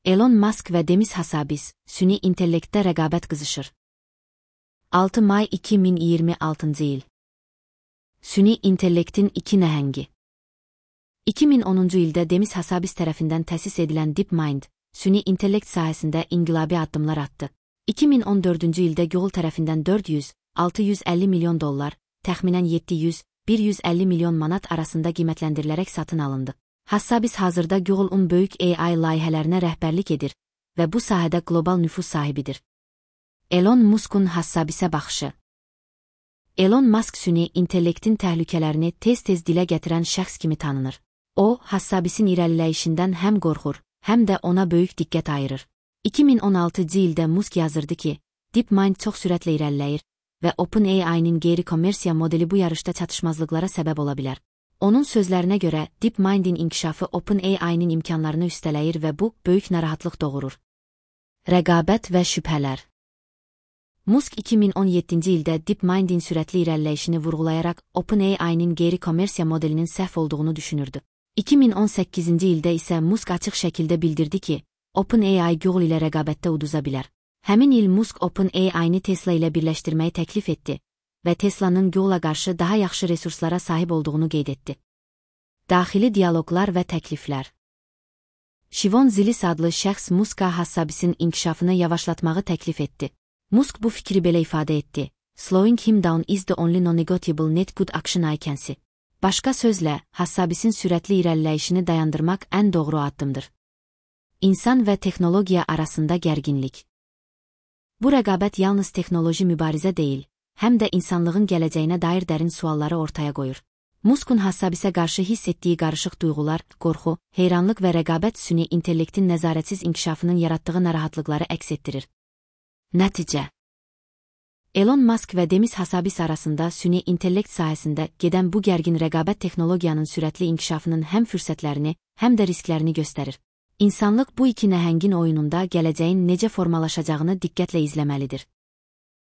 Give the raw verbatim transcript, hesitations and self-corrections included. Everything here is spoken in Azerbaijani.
Elon Musk və Demis Hassabis, süni intellektdə rəqabət qızışır. altı may iki min iyirmi altıncı il. Süni intellektin iki nəhəngi. iki min onuncu ildə Demis Hassabis tərəfindən təsis edilən DeepMind, süni intellekt sahəsində inqilabi addımlar attı. iki min on dördüncü ildə Google tərəfindən dörd yüz altı yüz əlli milyon dollar, təxminən yeddi yüz bir yüz əlli milyon manat arasında qiymətləndirilərək satın alındı. Hassabis hazırda Google'un böyük A I layihələrinə rəhbərlik edir və bu sahədə qlobal nüfuz sahibidir. Elon Musk'un Hassabisə baxışı. Elon Musk süni intellektin təhlükələrini tez-tez dilə gətirən şəxs kimi tanınır. O, Hassabisin irəliləyişindən həm qorxur, həm də ona böyük diqqət ayırır. iki min on altıncı ildə Musk yazırdı ki, DeepMind çox sürətlə irəliləyir və OpenAI'nin qeyri-kommersiya modeli bu yarışda çatışmazlıqlara səbəb ola bilər. Onun sözlərinə görə, DeepMind'in inkişafı OpenAI'nin imkanlarını üstələyir və bu, böyük narahatlıq doğurur. Rəqabət və şübhələr. Musk iki min on yeddinci ildə DeepMind'in sürətli irəliləyişini vurğulayaraq OpenAI'nin qeyri-kommersiya modelinin səhv olduğunu düşünürdü. iki min on səkkizinci ildə isə Musk açıq şəkildə bildirdi ki, OpenAI Google ilə rəqabətdə uduza bilər. Həmin il Musk OpenAI'ni Tesla ilə birləşdirməyi təklif etdi və Tesla'nın Google'a qarşı daha yaxşı resurslara sahib olduğunu qeyd etdi. Daxili dialoqlar və təkliflər. Shivon Zilis adlı şəxs Musk'a Hassabisin inkişafını yavaşlatmağı təklif etdi. Musk bu fikri belə ifadə etdi: "Slowing him down is the only non-negotiable net good action I can see." Başqa sözlə, Hassabisin sürətli irəliləyişini dayandırmaq ən doğru addımdır. İnsan və texnologiya arasında gərginlik. Bu rəqabət yalnız texnoloji mübarizə deyil, həm də insanlığın gələcəyinə dair dərin sualları ortaya qoyur. Musk'un Hassabisə qarşı hiss etdiyi qarışıq duyğular, qorxu, heyranlıq və rəqabət süni intellektin nəzarətsiz inkişafının yaratdığı narahatlıqları əks etdirir. Nəticə. Elon Musk və Demis Hassabis arasında süni intellekt sahəsində gedən bu gərgin rəqabət texnologiyanın sürətli inkişafının həm fürsətlərini, həm də risklərini göstərir. İnsanlıq bu iki nəhəngin oyununda gələcəyin necə formalaşacağını diqqətlə izləməlidir.